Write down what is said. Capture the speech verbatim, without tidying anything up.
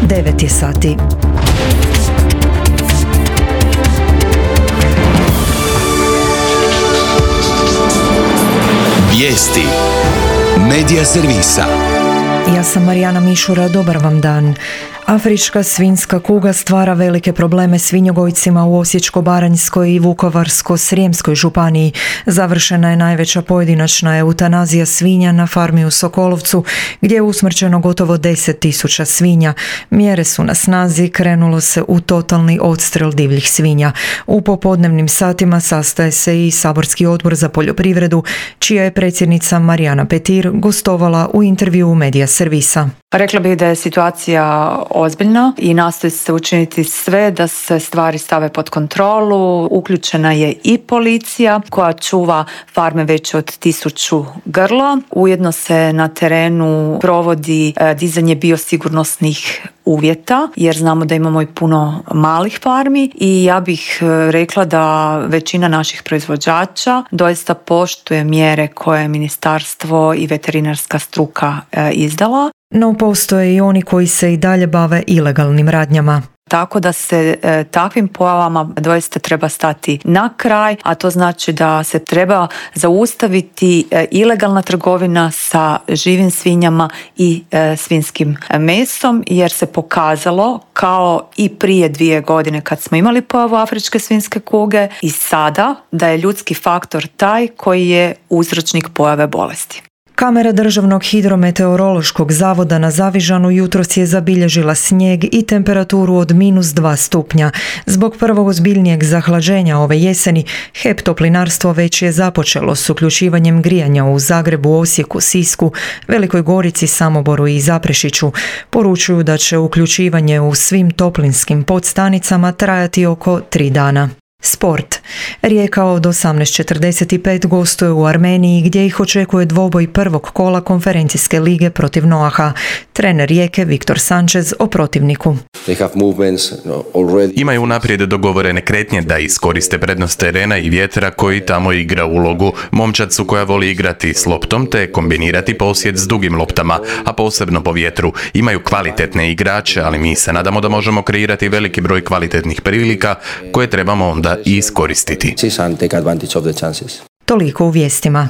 devet je sati. Vijesti Medija servisa. Ja sam Marijana Mišura, dobar vam dan. Afrička svinjska kuga stvara velike probleme svinjogojcima u Osječko-baranjskoj i Vukovarsko-srijemskoj županiji. Završena je najveća pojedinačna eutanazija svinja na farmi u Sokolovcu, gdje je usmrćeno gotovo deset tisuća svinja. Mjere su na snazi, krenulo se u totalni odstrel divljih svinja. U popodnevnim satima sastaje se i saborski odbor za poljoprivredu, čija je predsjednica Marijana Petir gostovala u intervjuu Medija servisa. Rekla bih da je situacija ozbiljna i nastoji se učiniti sve da se stvari stave pod kontrolu. Uključena je i policija koja čuva farme veće od tisuću grla. Ujedno se na terenu provodi dizanje biosigurnosnih uvjeta, jer znamo da imamo i puno malih farmi i ja bih rekla da većina naših proizvođača doista poštuje mjere koje je ministarstvo i veterinarska struka izdala. No postoje i oni koji se i dalje bave ilegalnim radnjama. Tako da se e, takvim pojavama doista treba stati na kraj, a to znači da se treba zaustaviti e, ilegalna trgovina sa živim svinjama i e, svinjskim mesom, jer se pokazalo kao i prije dvije godine kad smo imali pojavu afričke svinjske kuge i sada da je ljudski faktor taj koji je uzročnik pojave bolesti. Kamera Državnog hidrometeorološkog zavoda na Zavižanu jutros je zabilježila snijeg i temperaturu od minus dva stupnja. Zbog prvog ozbiljnijeg zahlađenja ove jeseni, H E P Toplinarstvo već je započelo s uključivanjem grijanja u Zagrebu, Osijeku, Sisku, Velikoj Gorici, Samoboru i Zaprešiću. Poručuju da će uključivanje u svim toplinskim podstanicama trajati oko tri dana. Sport. Rijeka od osamnaest četrdeset pet gostuje u Armeniji gdje ih očekuje dvoboj prvog kola konferencijske lige protiv Noaha. Trener Rijeke Viktor Sanchez o protivniku. Imaju unaprijed dogovorene kretnje da iskoriste prednost terena i vjetra koji tamo igra ulogu. Momčad su koja voli igrati s loptom te kombinirati posjed s dugim loptama, a posebno po vjetru. Imaju kvalitetne igrače, ali mi se nadamo da možemo kreirati veliki broj kvalitetnih prilika koje trebamo onda i iskoristiti. Toliko u vijestima.